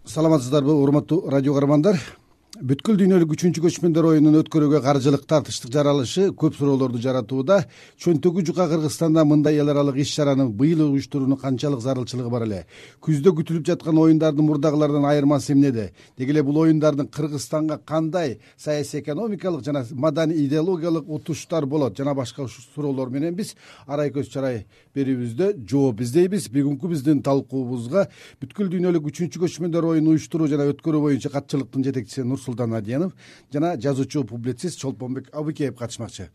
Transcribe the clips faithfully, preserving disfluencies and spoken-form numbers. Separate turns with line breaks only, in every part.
Саламатсыздарбы, урматтуу радио каармандар. Бүткүл дүйнөлүк үчүнчү көчмөндөр оюнун өткөрүүгө каржылык тартыштык жаралышы көп суроолорду жаратууда. Чөнтөгү жука Кыргызстанда мындай эл аралык иш чараны быйыл уюштуруунун канчалык зарылчылыгы бар эле? Күздө күтүлүп жаткан оюндардын мурдагылардан айырмасы эмнеде? Деги эле бул оюндардын Кыргызстанга кандай саясий, экономикалык жана маданий идеологиялык утуштар болот? Жана башка суроолор менен биз арай көз чарай берүүбүздө жооп издейбиз. Бүгүнкү биздин талкуубузга бүткүл дүйнөлүк үчүнчү көчмөндөр оюнун уюштуруу жана өткөрүү боюнча катчылыктын жетекчиси Нурсултан Адиянов жана жазуучу публицист Чолпонбек Абыкеев катышмакчы.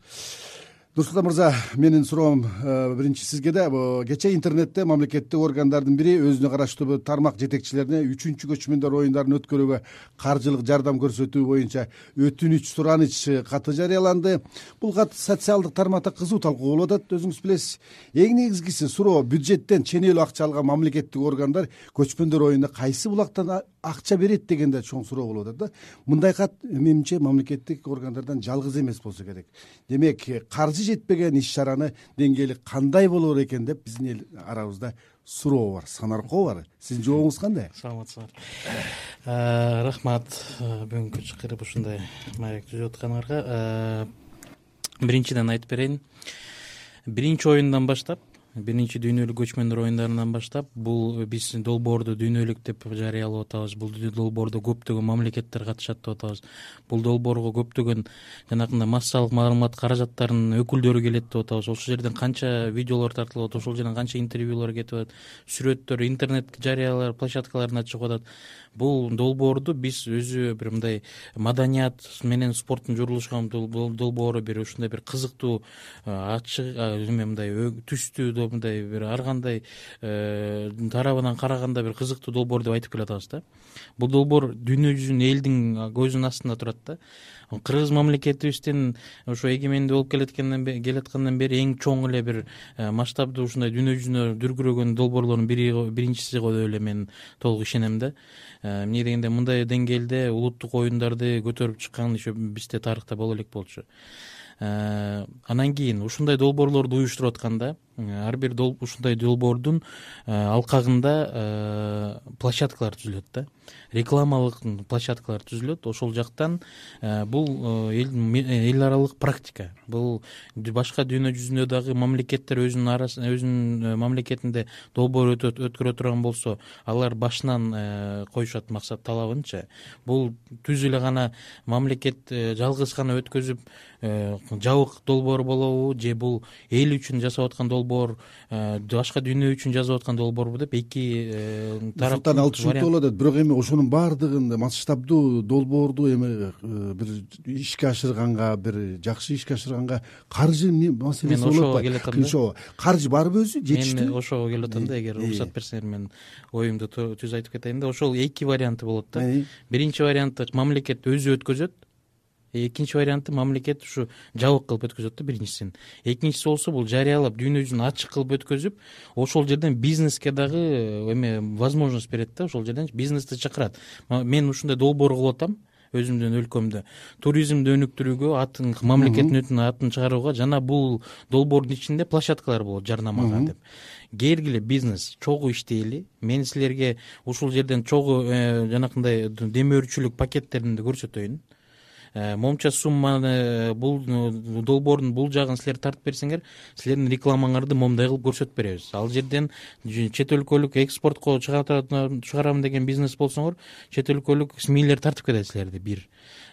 Нурсултан мырза, менин суроом биринчи сизге да. Кечээ интернетте мамлекеттик органдардын бири өзүнө караштуу тармак жетекчилерине үчүнчү көчмөндөр оюндарын өткөрүүгө каржылык жардам көрсөтүү боюнча өтүнүч сураныч каты жарыяланды. Бул кат социалдык тармакта кызуу талкуу болуп атат, өзүңүз билесиз. Эң негизгиси суроо, бюджеттен ченелүү акча алган мамлекеттик органдар көчмөндөр оюнуна кайсы булактан акча берет дегенде чоң суроо болуп атат да. Мындай кат менимче мамлекеттик органдардан жалгыз эмес болсо керек. Демек, каржы жетпеген иш чараны деңгээли кандай болор экен деп биздин эл арабызда суроо бар, санаркоо бар. Сиздин жообуңуз кандай?
Саламатсыздар. Рахмат бүгүнкү чакырып ушундай маек түзүп атканыңарга. Биринчиден айтып берейин. Биринчи оюндан баштап, биринчи дүйнөлүк көчмөндөр оюндарынан баштап бул биз долбоорду дүйнөлүк деп жарыялап атабыз. Бул долбоордо көптөгөн мамлекеттер катышат деп атабыз. Бул долбоорго көптөгөн жанагындай массалык маалымат каражаттарынын өкүлдөрү келет деп атабыз. Ошол жерден канча видеолор тартылып атат, ошол жерден канча интервьюлар кетип атат, сүрөттөр, интернет жарыялар, площадкаларына чыгып атат. Бул долбоорду биз өзү бир мындай маданият менен спорттун журулушкан долбоору, бир ушундай бир кызыктуу, ачык, мындай түстүү, мындай бир ар кандай тарабынан караганда бир кызыктуу долбоор деп айтып келатабыз да. Бул долбоор дүйнө жүзүнүн элдин көзүнүн астында турат да. Кыргыз мамлекетибиздин ошо эгемендүү болуп келаткандан келаткандан бери эң чоң эле бир масштабдуу ушундай дүйнө жүзүнө дүркүрөгөн долбоорлордун бири биринчиси деп эле мен толук ишенем да. Эмне дегенде, мындай деңгээлде улуттук оюндарды көтөрүп чыккан еще бизде тарыхта боло элек болчу. Анан кийин ушундай долбоорлорду уюштуруп атканда ар бир ушундай долбоордун алкагында площадкалар түзүлөт да. Рекламалык площадкалар түзүлөт. Ошол жактан бул эл аралык практика. Бул башка дүйнө жүзүндө дагы мамлекеттер өзүнүн арасында, өзүнүн мамлекетинде долбоор өткөрө турган болсо, алар башынан коюшат максат талабынча. Бул түз эле гана мамлекет жалгыз гана өткөзүп жабык долбоор болобу, же бул эл үчүн жасап аткан долбоор, башка дүйнө үчүн жазып аткан долбоорбу деп эки тараптан
ал түшүнүктүү болот. Бирок эми ошонун баардыгын масштабдуу долбоорду эми бир ишке ашырганга, бир жакшы ишке ашырганга каржы маселеси болуп атпайбы? Каржы барбы өзү, жетиштүү?
Мен ошого келип атам да, эгер уруксат берсеңер мен оюмду түз айтып кетейин да. Ошол эки варианты болот да. Биринчи варианты мамлекет өзү өткөзөт. Экинчи варианты мамлекет ушу жабык кылып өткөзөт да, биринчисин. Экинчиси болсо бул жарыялап дүйнө жүзүн ачык кылып өткөзүп, ошол жерден бизнеске дагы эме возможность берет да, ошол жерден бизнести чакырат. Мен ушундай долбоор кылып атам өзүмдүн өлкөмдө. Туризмди өнүктүрүүгө, атын мамлекеттин атын чыгарууга, жана бул долбоордун ичинде площадкалар болот жарнамага деп. Келгиле бизнес чогуу иштейли. Мен силерге ушул жерден чогуу жанакындай демөөрчүлүк пакеттеринди көрсөтөйүн. Момча сумманы бул долбоордун бул жагын силер тартып берсеңер, силердин рекламаңарды момдай кылып көрсөтүп беребиз. Ал жерден чет өлкөлүк экспортко чыгарам деген бизнес болсоңор, чет өлкөлүк смейлер тартып кетет силерди. Бир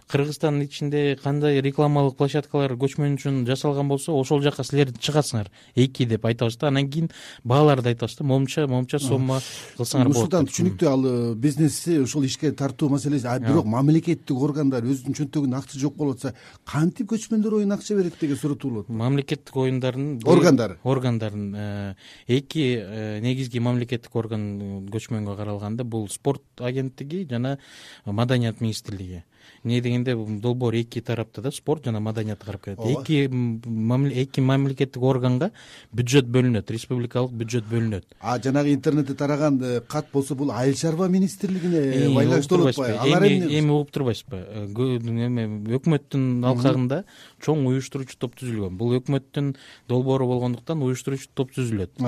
Кыргызстандын ичинде кандай рекламалык площадкалар көчмөн үчүн жасалган болсо, ошол жака силер чыгасыңар. Эки деп айтабыз да. Анан кийин бааларды айтабыз да. Момча, момча сумма кылсаңар болот.
Ушудан түшүнүктүү, ал бизнести ошол ишке тартуу маселеси. А бирок мамлекеттик органдар өзүнүн чөнтөгүндө акча жок болуп атса, кантип көчмөндөр оюнуна акча берет деген суроо туулат.
Мамлекеттик оюндардын
органдары
органдарын эки негизги мамлекеттик орган көчмөнгө каралганда, бул спорт агенттиги жана маданият министрлиги. Эмне дегенде, долбоор эки тарапта да, спорт жана маданиятты карап келет. Эки эки мамлекеттик органга бюджет бөлүнөт, республикалык бюджет бөлүнөт.
А жанагы интернетте тараган кат болсо, бул айыл чарба министрлигине байланыштуу болуп атпайбы? Алар
эми угуп турбайсызбы? эме өкмөттүн алкагында чоң уюштуруучу топ түзүлгөн. Бул өкмөттүн долбоору болгондуктан уюштуруучу топ түзүлөт.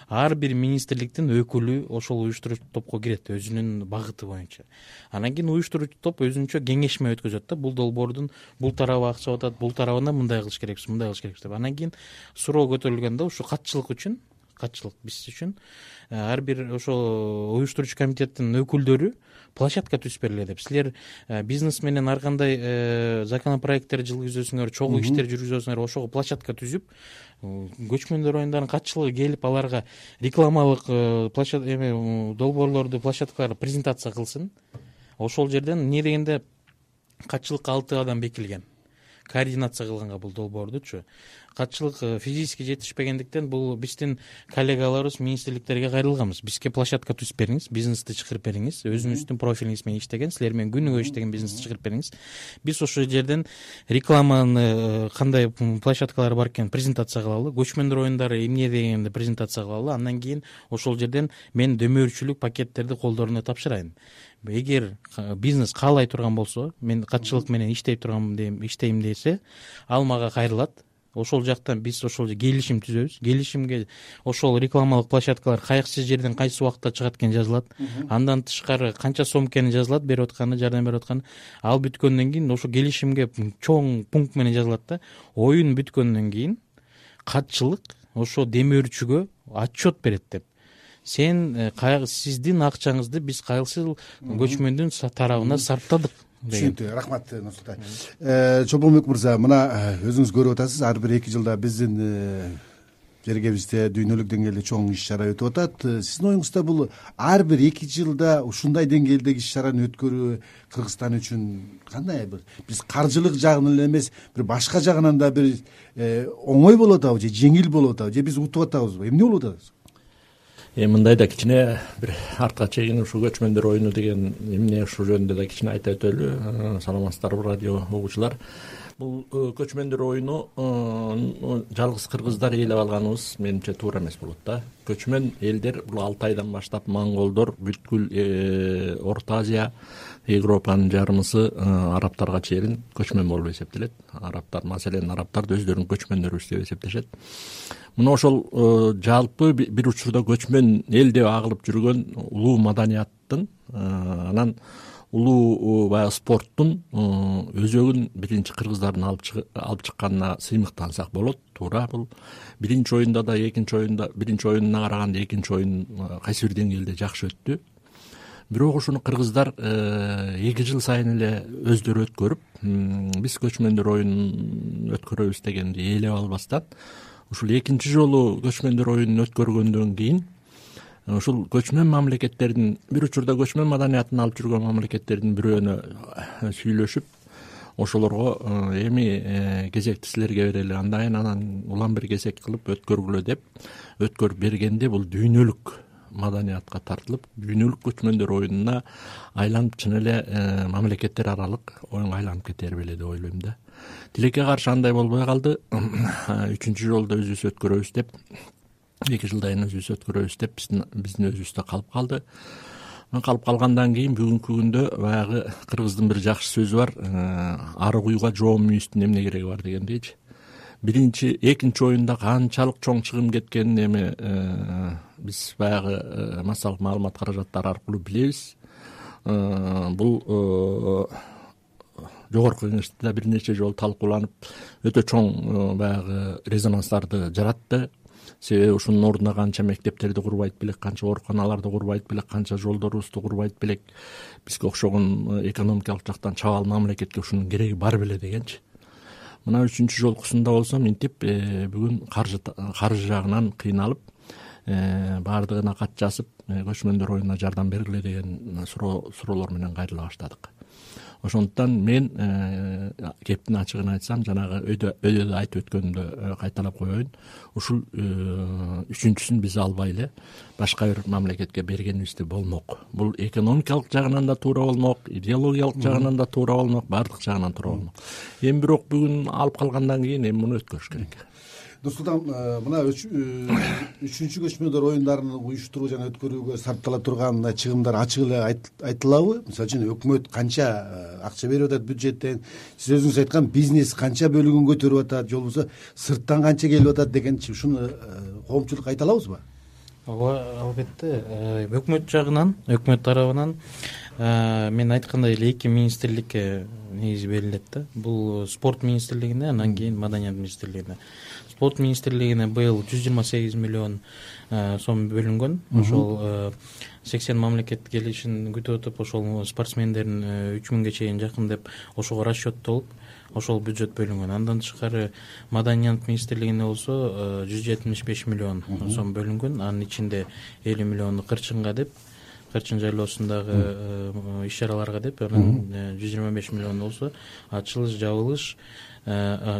Ар бир министрликтин өкүлү ошол уюштуруучу топко кирет өзүнүн багыты боюнча. Анан кийин уюштуруучу топ өзүнчө кеңешме өткөзөт да, бул долбоордун бул тарабы акча атат, бул тарабына мындай кылыш керекпиз, мындай кылыш керекпиз деп. Анан кийин суроо көтөрүлгөндө ушу катчылык үчүн катчылык биз үчүн ар бир ошол уюштуруучу комитеттин өкүлдөрү площадка түзүп бергиле деп. Силер бизнес менен ар кандай законопроекттер жылгызасыңар, чогуу иштер жүргүзөсүңөр, ошого площадка түзүп, көчмөндөр оюндарынын катчылыгы келип аларга рекламалык площадка эме долбоорлорду площадкаларда презентация кылсын. Ошол жерден эмне дегенде катчылыкка алты адам бекилген. Координация кылганга бул долбоордучу. Катчылык физически жетишпегендиктен бул биздин коллегаларыбыз министрликтерге кайрылганбыз. Бизге площадка түзүп бериңиз, бизнести чыгарып бериңиз. Өзүңүздүн профилиңиз менен иштеген, силер менен күнүгө иштеген бизнести чыгарып бериңиз. Биз ошол жерден рекламаны кандай площадкалар бар экен презентация кылалы, көчмөндөр оюндары эмне дегенди презентация кылалы. Андан кийин ошол жерден мен дөмөрчүлүк пакеттерди колдоруна тапшырайын. Эгер бизнес каалай турган болсо, мен катчылык менен иштей турган иштейм десе, ал мага кайрылат. Ошол жактан биз ошол келишим түзөбүз. Келишимге ошол рекламалык площадкалар кайсы жерден кайсы убакытта чыгат экен жазылат. Андан тышкары канча сом экени жазылат, берип атканы, жардам берип атканы. Ал бүткөндөн кийин ошо келишимге чоң пункт менен жазылат да. Оюн бүткөндөн кийин катчылык ошо демөөрчүгө отчет берет деп. Сен сиздин акчаңызды биз кайсы көчмөндүн тарабына сарптадык.
Түшүнүктүү. Рахмат Нурсултай. Чолпонбек мырза, мына өзүңүз көрүп атасыз, ар бир эки жылда биздин жергебизде дүйнөлүк деңгээлде чоң иш-чара өтүп атат. Сиздин оюңузда бул ар бир эки жылда ушундай деңгээлдеги иш-чараны өткөрүү Кыргызстан үчүн кандай бир биз каржылык жагынан эле эмес, бир башка жагынан да бир оңой болуп атабы же жеңил болуп атабы же биз утуп атабызбы? Эмне болуп атат?
Эми мындай да кичине бир артка чегинип ушу көчмөндөр оюну деген эмне ушул жөнүндө да кичине айта өтөлү. Саламатсыздарбы радио угуучулар. Бул көчмөндөр оюну жалгыз кыргыздар ээлеп алганыбыз менимче туура эмес болот да. Көчмөн элдер бул алты айдан баштап монголдор, бүткүл Орто Азия, Европанын жарымысы арабтарга чейин көчмөн болуп эсептелет. Арабтар, маселен, арабтар да өздөрүнүн көчмөндөрүбүз деп эсептешет. Мына ошол жалпы бир учурда көчмөн эл деп агылып жүргөн улуу маданияттын, анан улуу баягы спорттун өзөгүн биринчи кыргыздардын алып чыкканына сыймыктансак болот. Туура, бул биринчи оюнда да, экинчи оюнда, биринчи оюнуна караганда экинчи оюн кайсы бир деңгээлде жакшы өттү. Бирок ушуну кыргыздар эки жыл сайын эле өздөрү өткөрүп, биз көчмөндөр оюнун өткөрөбүз дегенди ээлеп албастан, ушул экинчи жолу көчмөндөр оюнун өткөргөндөн кийин ушул көчмөн мамлекеттердин, бир учурда көчмөн маданиятын алып жүргөн мамлекеттердин бирөөнө сүйлөшүп, ошолорго эми кезекти силерге берели, андайын анан улам бир кезек кылып өткөргүлө деп өткөрүп бергенде бул дүйнөлүк маданиятка тартылып, дүйнөлүк көчмөндөр оюнуна айланып, чын эле мамлекеттер аралык оюнга айланып кетер беле деп ойлойм да. Тилекке каршы андай болбой калды. Үчүнчү жолду өзүбүз өткөрөбүз деп, эки жылдан өзүбүз өткөрөбүз деп биздин өзүбүздө калып калды. Калып калгандан кийин бүгүнкү күндө баягы кыргыздын бир жакшы сөзү бар, ары куйга жоом мүйүстүн эмне кереги бар дегендейчи. Биринчи, экинчи оюнда канчалык чоң чыгым кеткенин эми биз баягы массалык маалымат каражаттары аркылуу билебиз. Бул жогорку кеңеште да бир нече жолу талкууланып, өтө чоң баягы резонанстарды жаратты. Себеби ушунун ордуна канча мектептерди курбайт белек, канча ооруканаларды курбайт белек, канча жолдорубузду курбайт белек. Бизге окшогон экономикалык жактан чабал мамлекетке ушунун кереги бар беле дегенчи. Мына үчүнчү жолкусунда болсо минтип бүгүн каржы каржы жагынан кыйналып, баардыгына кат жазып, көчмөндөр оюнуна жардам бергиле деген суроолор менен кайрыла баштадык. Ошондуктан мен кептин ачыгын айтсам, жанагы өйдө айтып өткөнүмдө кайталап коеюн. Ушул үчүнчүсүн биз албай эле башка бир мамлекетке бергенибизде болмок. Бул экономикалык жагынан да туура болмок, идеологиялык жагынан да туура болмок, баардык жагынан туура болмок. Эми бирок бүгүн алып калгандан кийин эми муну өткөрүш керек.
Нурсултан, мына үчүнчү көчмөндөр оюндарын уюштуруу жана өткөрүүгө сарптала турган чыгымдар ачык эле айтылабы? Мисалы үчүн өкмөт канча акча берип атат бюджеттен, сиз өзүңүз айткан бизнес канча бөлүгүн көтөрүп атат, же болбосо сырттан канча келип атат дегенчи ушуну коомчулукка айта алабызбы?
ооба, албетте. Өкмөт жагынан, өкмөт тарабынан мен айткандай эле эки министрликке негизи берилет да. Бул спорт министрлигине, анан кийин маданият министрлигине. Спорт министрлигине быйыл жүз жыйырма сегиз миллион сом бөлүнгөн. Ошол сексен мамлекет келишин күтүп атып, ошол спортсмендердин үч миңге чейин жакын деп ошого расчеттолуп, ошол бюджет бөлүнгөн. Андан тышкары маданият министрлигине болсо жүз жетимиш беш миллион сом бөлүнгөн. Анын ичинде элүү миллиону кырчынга деп, Кырчын жайлоосундагы иш-чараларга деп, анан жүз жыйырма беш миллион болсо ачылыш, жабылыш,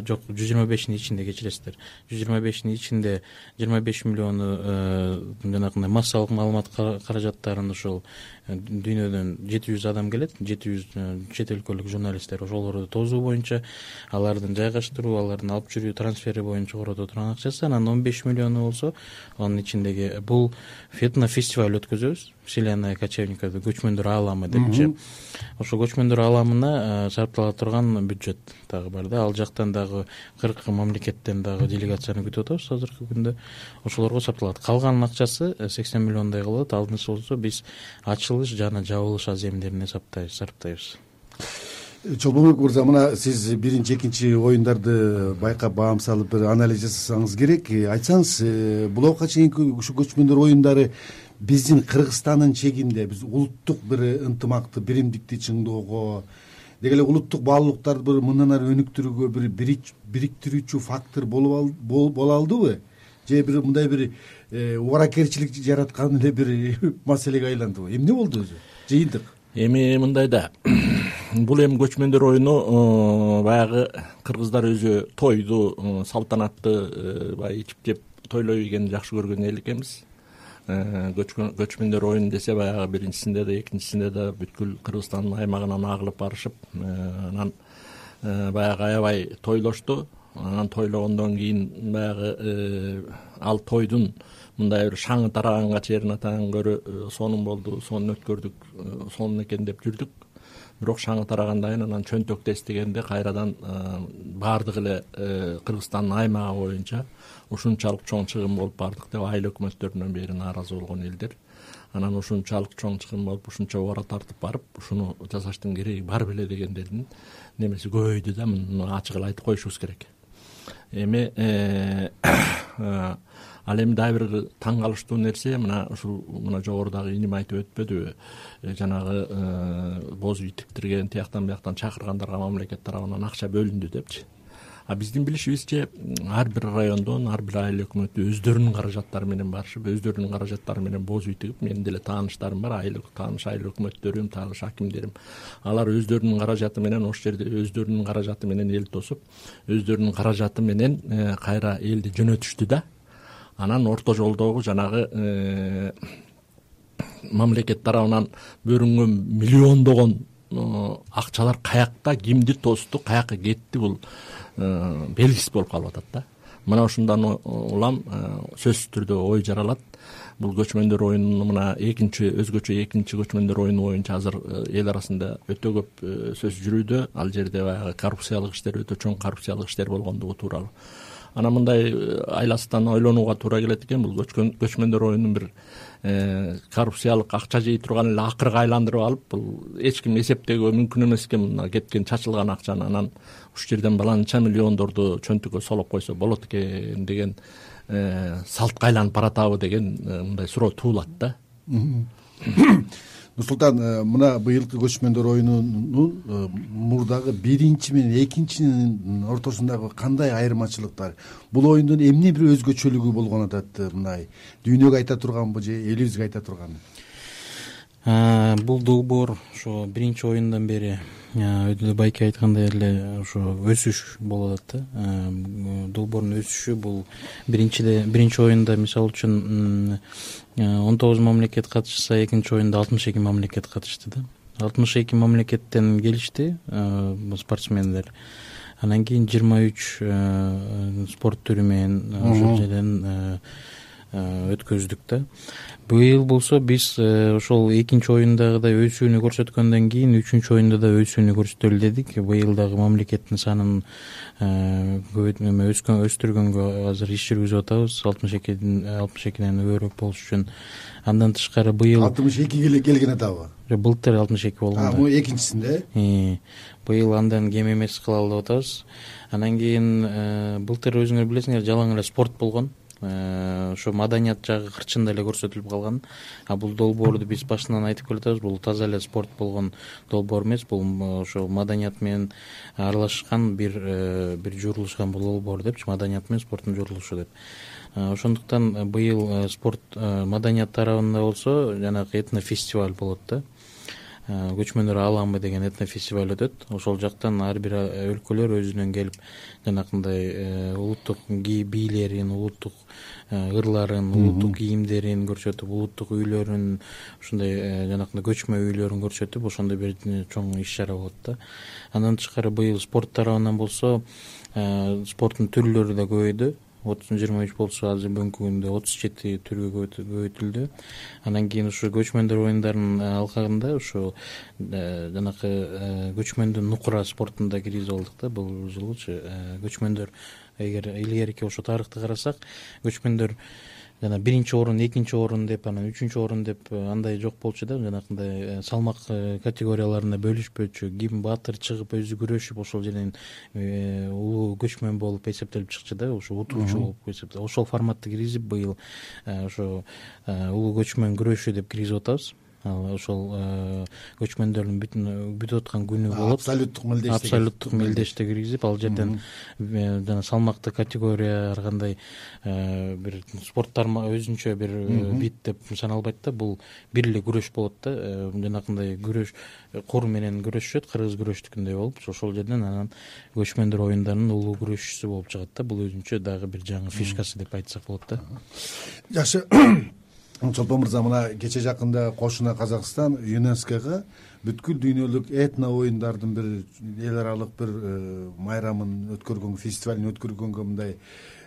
жок, жүз жыйырма бештин ичинде кечиресиздер. жүз жыйырма бештин ичинде жыйырма беш миллиону жанагындай массалык маалымат каражаттарын ошол дүйнөдөн жети жүз адам келет, жети жүз чет өлкөлүк журналисттер, ошолорду тосуу боюнча, алардын жайгаштыруу, алардын алып жүрүү, трансфери боюнча корото турган акчасы. Анан он беш миллиону болсо анын ичиндеги бул фестиваль өткөзөбүз. Вселенная кочевников, көчмөндөр ааламы депчи. Ошо көчмөндөр ааламына сарптала турган бюджет дагы бар да. Ал жактан дагы кырк мамлекеттен дагы делегацияны күтүп атабыз азыркы күндө. Ошолорго сарпталат. Калган акчасы сексен миллиондай кылат. Алдынча болсо биз ачылыш жана жабылыш аземдерине сарптайбыз, сарптайбыз.
Чолбонбек мырза, мына сиз биринчи, экинчи оюндарды байкап, баам салып, бир анализ жасасаңыз керек. Айтсаңыз, булга чейинки ушу көчмөндөр оюндары биздин Кыргызстандын чегинде биз улуттук бир ынтымакты, биримдикти чыңдоого, деги эле улуттук баалуулуктарды бир мындан ары өнүктүрүүгө бир бириктирүүчү фактор боло алдыбы? Же бир мындай бир убаракерчилик жараткан эле бир маселеге айландыбы? Эмне болду өзү? Жыйынтык.
Эми мындай да. Бул эми көчмөндөр оюну баягы кыргыздар өзү тойду салтанатты баягы ичип жеп тойлой бергенди жакшы көргөн эл экенбиз. Көчмөндөр оюну десе баягы биринчисинде да, экинчисинде да бүткүл Кыргызстандын аймагынан агылып барышып, анан баягы аябай тойлошту. Анан тойлогондон кийин баягы ал тойдун мындай бир шаңы тараганга чейин атадан көрө сонун болду, сонун өткөрдүк, сонун экен деп жүрдүк. Бирок шаңы тарагандан кийин анан чөнтөктү эстегенде кайрадан баардык эле Кыргызстандын аймагы боюнча ушунчалык чоң чыгым болуп бардык деп айыл өкмөттөрүнөн бери нааразы болгон элдер. Анан ушунчалык чоң чыгым болуп, ушунча убара тартып барып, ушуну жасаштын кереги бар беле дегендердин немеси көбөйдү да, муну ачык эле айтып коюшубуз керек. Эми ал эми дагы бир таң калыштуу нерсе, мына ушул мына жогорудагы иним айтып өтпөдүбү, жанагы боз үй тиктирген, тияктан бияктан чакыргандарга мамлекет тарабынан акча бөлүндү депчи. А биздин билишибизче ар бир райондон ар бир айыл өкмөтү өздөрүнүн каражаттары менен барышып, өздөрүнүн каражаттары менен боз үй тигип, менин деле тааныштарым бар, айыл тааныш айыл өкмөттөрүм, тааныш акимдерим. Алар өздөрүнүн каражаты менен ошол жерде өздөрүнүн каражаты менен эл тосуп, өздөрүнүн каражаты менен кайра элди жөнөтүштү да. Анан орто жолдогу жанагы мамлекет тарабынан бөлүнгөн миллиондогон акчалар каякта, кимди тосту, каяка кетти, бул белгисиз болуп калып атат да. Мына ушундан улам сөзсүз түрдө ой жаралат. Бул көчмөндөр оюнунун мына экинчи өзгөчө экинчи көчмөндөр оюну боюнча азыр эл арасында өтө көп сөз жүрүүдө. Ал жерде баягы коррупциялык иштер, өтө чоң коррупциялык иштер болгондугу тууралуу. Анан мындай айласынан ойлонууга туура келет экен. Бул көчмөндөр оюнун бир коррупциялык акча жей турган эле акырга айландырып алып, бул эч ким эсептөөгө мүмкүн эмес экен. Мына кеткен чачылган акчаны анан ушул жерден баланча миллиондорду чөнтүккө солоп койсо болот экен деген салтка айланып баратабы деген мындай суроо туулат да.
Нурсултан, мына быйылкы көчмөндөр оюнунун мурдагы биринчи менен экинчинин ортосундагы кандай айырмачылыктар? Бул оюндун эмне бир өзгөчөлүгү болгон атат? Мындай дүйнөгө айта турганбы же элибизге айта турганбы?
Бул долбоор ошо биринчи оюндан бери өтө байке айткандай эле ошо өсүш болуп атат да. Долбоордун өсүшү бул биринчиде биринчи оюнда мисалы үчүн он тогуз мамлекет катышса, экинчи оюнда алтымыш эки мамлекет катышты да. алтымыш эки мамлекеттен келишти спортсмендер. анан кийин жыйырма үч спорт түрү менен ошол жерден өткөздүк да. Быйыл болсо биз ошол экинчи оюндагыдай өсүүнү көрсөткөндөн кийин үчүнчү оюнда да өсүүнү көрсөтөлү дедик. Быйыл дагы мамлекеттин санын өскөн өстүргөнгө азыр иш жүргүзүп атабыз, алтымыш экиден алтымыш экиден көбүрөөк болуш үчүн. Андан тышкары быйыл
алтымыш экиге келген атабы?
Былтыр алтымыш эки болгон.
А, бул экинчисинде.
Быйыл андан кем эмес кылалы деп атабыз. Анан кийин былтыр өзүңөр билесиңер жалаң эле спорт болгон. Ошо маданият жагы кырчында эле көрсөтүлүп калган. А бул долбоорду биз башынан айтып келатабыз, бул таза эле спорт болгон долбоор эмес, бул ошо маданият менен аралашкан бир бир журулушкан бул долбоор депчи, маданият менен спорттун журулушу деп. Ошондуктан быйыл спорт маданият тарабында болсо жанагы этнофестиваль болот да. Көчмөндөр ааламы деген этнофестиваль өтөт. Ошол жактан ар бир өлкөлөр өзүнөн келип жанакындай улуттук бийлерин, улуттук ырларын, улуттук кийимдерин көрсөтүп, улуттук үйлөрүн, ушундай жанакындай көчмө үйлөрүн көрсөтүп, ошондой бир чоң иш чара болот да. Андан тышкары быйыл спорт тарабынан болсо спорттун түрлөрү да көбөйдү. отуз жыйырма үч болсо азыр бүгүнкү күндө отуз жети түргө көбөйтүлдү. Анан кийин ушу көчмөндөр оюндарынын алкагында ушу жанакы көчмөндүн нукура спортун да киргизип алдык да бул жылычы. Көчмөндөр эгер илгерки ошо тарыхты карасак, көчмөндөр жана биринчи орун, экинчи орун деп, анан үчүнчү орун деп андай жок болчу да, жанакындай салмак категорияларына бөлүшпөчү. Ким баатыр чыгып өзү күрөшүп ошол жерден улуу көчмөн болуп эсептелип чыкчу да, ошо утуучу болуп эсептелип. Ошол форматты киргизип быйыл ошо улуу көчмөн күрөшү деп киргизип атабыз. Ошол көчмөндөрдүн бүтүн бүтүп аткан күнү болот.
Абсолюттук мелдеште.
Абсолюттук мелдеште киргизип, ал жерден жана салмакты категория ар кандай бир спорттар өзүнчө бир бит деп саналбайт да, бул бир эле күрөш болот да. Жанакындай күрөш кур менен күрөшүшөт, кыргыз күрөштүкүндөй болуп, ошол жерден анан көчмөндөр оюндарынын улуу күрөшчүсү болуп чыгат да. Бул өзүнчө дагы бир жаңы фишкасы деп айтсак болот да.
Жакшы. Чолпон мырза, мына кече жакында Кошуна Казакстан ЮНЕСКОга бүткүл дүйнөлүк этно оюндардын бир эл аралык бир майрамын өткөргөн, фестивалын өткөргөнгө мындай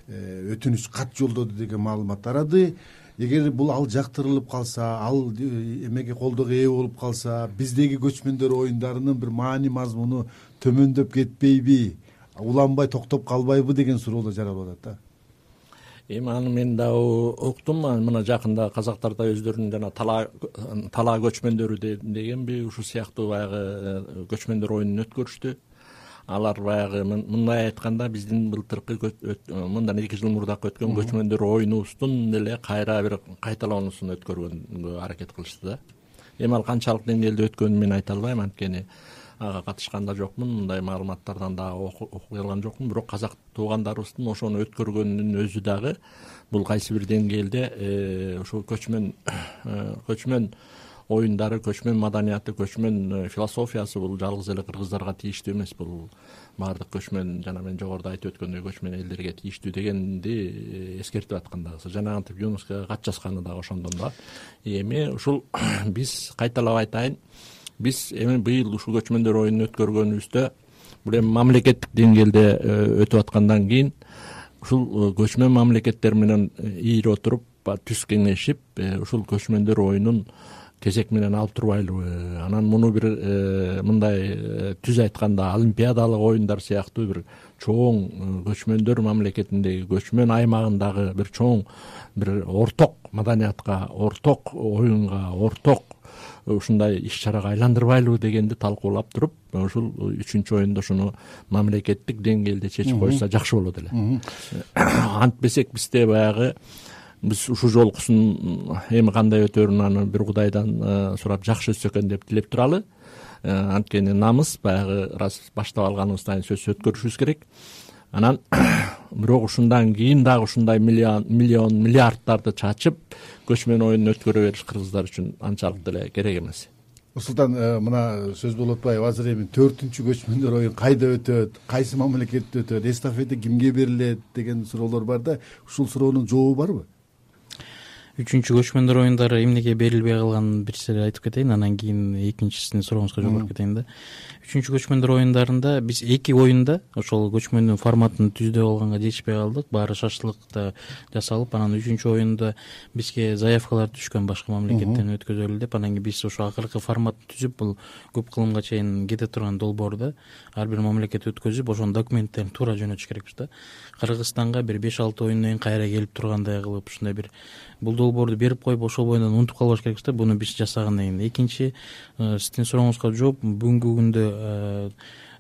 өтүнүч кат жолдоду деген маалымат тарады. Эгер бул ал жактырылып калса, ал эмеге колдоого ээ болуп калса, биздеги көчмөндөр оюндарынын бир маани мазмуну төмөндөп кетпейби, уланбай токтоп калбайбы деген суроо да жаралып атат да.
Эми аны мен да уктум. Мына жакында казактар да өздөрүнүн жана талаа талаа көчмөндөрү дегенби ушул сыяктуу баягы көчмөндөр оюнун өткөрүштү. Алар баягы мындай айтканда биздин былтыркы мындан эки жыл мурдак өткөн көчмөндөр оюнубуздун эле кайра бир кайталоонусун өткөргөнгө аракет кылышты да. Эми ал канчалык деңгээлде өткөнүн мен айта албайм, анткени ага катышкан да жокмун, мындай маалыматтардан да окуп келген жокмун. Бирок казак туугандарыбыздын ошону өткөргөнүнүн өзү дагы бул кайсы бир деңгээлде ошол көчмөн көчмөн оюндары, көчмөн маданияты, көчмөн философиясы бул жалгыз эле кыргыздарга тийиштүү эмес. Бул баардык көчмөн, жана мен жогоруда айтып өткөндөй көчмөн элдерге тийиштүү дегенди эскертип аткан дагы. Жана антип ЮНЕСКОга кат жазганы дагы ошондон да. Эми ушул биз кайталап айтайын, биз эми быйыл ушул көчмөндөр оюнун өткөргөнүбүздө бул эми мамлекеттик деңгээлде өтүп аткандан кийин ушул көчмөн мамлекеттер менен ийире отуруп, түз кеңешип, ушул көчмөндөр оюнун кезек менен алып турбайлыбы, анан муну бир мындай түз айтканда олимпиадалык оюндар сыяктуу бир чоң көчмөндөр мамлекетиндеги, көчмөн аймагындагы бир чоң бир орток маданиятка, орток оюнга, орток ушундай иш-чарага айландырбайлыбы дегенди талкуулап туруп, ушул үчүнчү оюнда ушуну мамлекеттик деңгээлде чечип койсо жакшы болот эле. Антпесек бизде баягы биз ушул жолкусун эми кандай өтөрүн аны бир Кудайдан сурап жакшы өтсө экен деп тилеп туралы. Анткени намыс баягы раз баштап алганыбыздан сөзсүз өткөрүшүбүз керек. Анан бирок ушундан кийин дагы ушундай миллион миллион миллиардтарды чачып көчмөн оюнун өткөрө бериш кыргыздар үчүн анчалык деле керек эмес.
Усултан, мына сөз болуп атпайбы, азыр эми төртүнчү көчмөндөр оюн кайда өтөт, кайсы мамлекетте өтөт, эстафета кимге берилет деген суроолор бар да, ушул суроонун жообу барбы?
үчүнчү көчмөндөр оюндары эмнеге берилбей калганын бир сыйра айтып кетейин, анан кийин экинчисин сурооңузга жооп берип кетейин да. Үчүнчү көчмөндөр оюндарында биз эки оюнда ошол көчмөндүн форматын түздөп алганга жетишпей калдык. Баары шарттуулукта жасалып, анан үчүнчү оюнда бизге заявкалар түшкөн башка мамлекеттен өткөзөлү деп. Анан кийин биз ошо акыркы форматты түзүп, бул көп кылымга чейин кете турган долбоорду ар бир мамлекет өткөзүп, ошонун документтерин туура жөнөтүш керекпиз да. Кыргызстанга бир беш алты оюндан кийин кайра келип тургандай кылып, ушундай бир бул долбоорду берип коюп, ошол боюнан унутуп калбаш керекпиз да. Буну биз жасагандан кийин. Экинчи, сиздин сурооңузга жооп, бүгүнкү күндө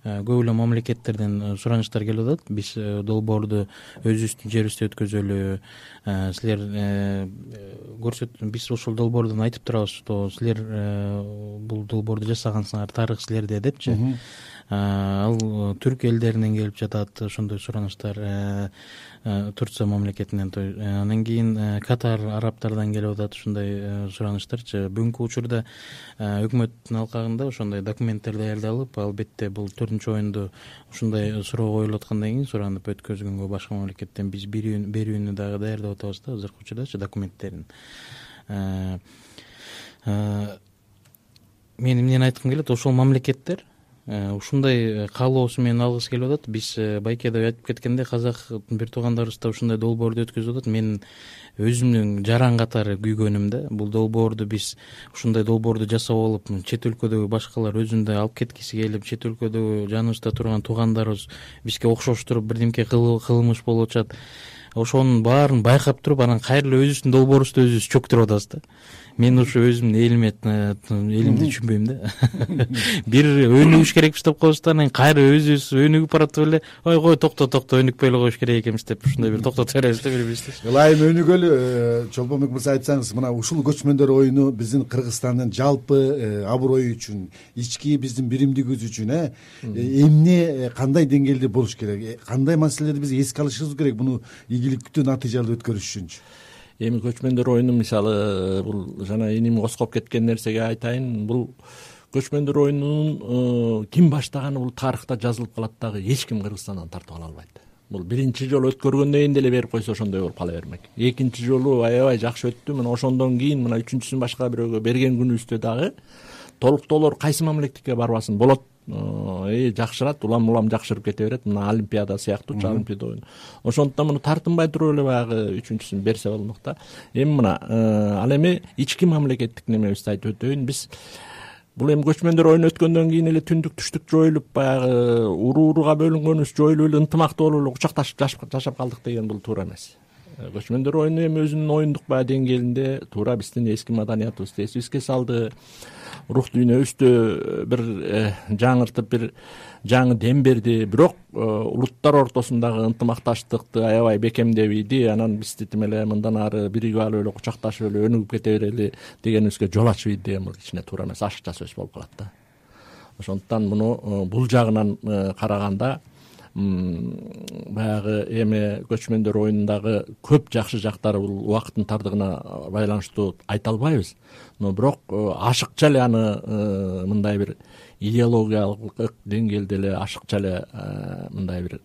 көп эле мамлекеттерден сураныштар келип атат. Биз долбоорду өзүбүздүн жерибизде өткөзөлү, силер көрсөт, биз ошол долбоордон айтып турабыз, что силер бул долбоорду жасагансыңар, тарых силерде депчи. Ал түрк элдеринен келип жатат ошондой сураныштар, Турция мамлекетинен. Анан кийин Катар, арабтардан келип атат ушундай сураныштарчы. Бүгүнкү учурда өкмөттүн алкагында ошондой документтер даярдалып, албетте бул төртүнчү оюнду ушундай суроо коюлуп аткандан кийин суранып өткөзгөнгө башка мамлекеттен биз берүүнү дагы даярдап атабыз да, азыркы учурдачы документтерин. Мен эмнени айткым келет, ошол мамлекеттер ушундай каалоосу менен алгысы келип атат. Биз байкеде айтып кеткендей, казак бир туугандарыбыз да ушундай долбоорду өткөзүп атат. Мен өзүмдүн жаран катары күйгөнүм да. Бул долбоорду биз ушундай долбоорду жасап алып, чет өлкөдөгү башкалар өзүндөй алып кеткиси келип, чет өлкөдөгү жаныбызда турган туугандарыбыз бизге окшоштуруп бирдемке кылмыш болуп атышат. Ошонун баарын байкап туруп, анан кайра эле өзүбүздүн долбоорубузду өзүбүз чөктүрүп атабыз да. Мен ушу өзүмдүн элиме элимди түшүнбөйм да. Бир өнүгүш керекпиз деп коебуз да, анан кайра өзүбүз өнүгүп баратып эле, ой кой токто токто өнүкпөй эле коюш керек экенбиз деп ушундай бир токтотуп беребиз да бири-бирибизди.
Ылайым өнүгөлү. Чолпонбек мырза, айтсаңыз, мына ушул көчмөндөр оюну биздин Кыргызстандын жалпы аброю үчүн, ички биздин биримдигибиз үчүн эмне, кандай деңгээлде болуш керек, кандай маселелерди биз эске алышыбыз керек буну ийгиликтүү натыйжалуу өткөрүш үчүнчү?
Эми көчмөндөр оюну, мисалы, бул жана эним коскоп кеткен нерсеге айтайын, бул көчмөндөр оюнунун ким баштаганы бул тарыхта жазылып калат дагы, эч ким Кыргызстандан тартып ала албайт. Бул биринчи жолу өткөргөндөн кийин деле берип койсо ошондой болуп кала бермек. Экинчи жолу аябай жакшы өттү, мына ошондон кийин мына үчүнчүсүн башка бирөөгө берген күнүбүздө дагы толуктоолор кайсы мамлекетке барбасын болот, э жакшырат, улам улам жакшырып кете берет. Мына Олимпиада сыяктуучу Олимпиада оюну. Ошондуктан муну тартынбай туруп эле баягы үчүнчүсүн берсе болмок да. Эми мына ал эми ички мамлекеттик немебизди айтып өтөйүн. Биз бул эми көчмөндөр оюну өткөндөн кийин эле түндүк туштук жоюлуп, баягы уруу-урууга бөлүнгөнүбүз жоюлуп эле ынтымактуу болуп эле кучакташып жашап калдык деген бул туура эмес. Көчмөндөр оюну эми өзүнүн оюндук баягы деңгээлинде туура биздин эски маданиятыбызды эсибизге салды. Рух дүйнөбүздү бир жаңыртып, бир жаңы дем берди. Бирок улуттар ортосундагы ынтымакташтыкты аябай бекемдеп ийди. Анан бизди тим эле мындан ары биригип алып эле кучакташып эле өнүгүп кете берели дегенибизге жол ачып ийди деген бул кичине туура эмес, ашыкча сөз болуп калат да. Ошондуктан муну бул жагынан караганда баягы эми көчмөндөр оюнундагы көп жакшы жактары бул убакыттын тардыгына байланыштуу айта албайбыз. Но бирок ашыкча эле аны мындай бир идеологиялык деңгээлде эле ашыкча эле мындай бир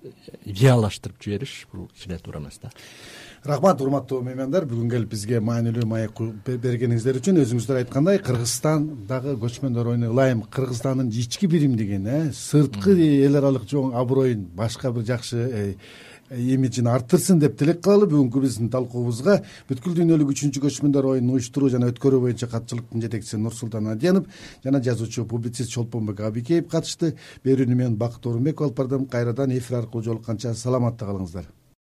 идеалдаштырып жибериш бул кичине туура эмес да.
Рахмат, урматтуу меймандар, бүгүн келип бизге маанилүү маек бергениңиздер үчүн. Өзүңүздөр айткандай, Кыргызстандагы көчмөндөр оюну ылайым Кыргызстандын ички биримдигин, сырткы эл аралык жоң аброюн, башка бир жакшы имиджин арттырсын деп тилек кылалы. Бүгүнкү биздин талкуубузга бүткүл дүйнөлүк үчүнчү көчмөндөр оюнун уюштуруу жана өткөрүү боюнча катчылыктын жетекчиси Нурсултан Адиянов жана жазуучу публицист Чолпонбек Абикеев катышты. Берүүнү мен Бакыт Орунбеков алып бардым. Кайрадан эфир аркылуу жолукканча саламатта калыңыздар.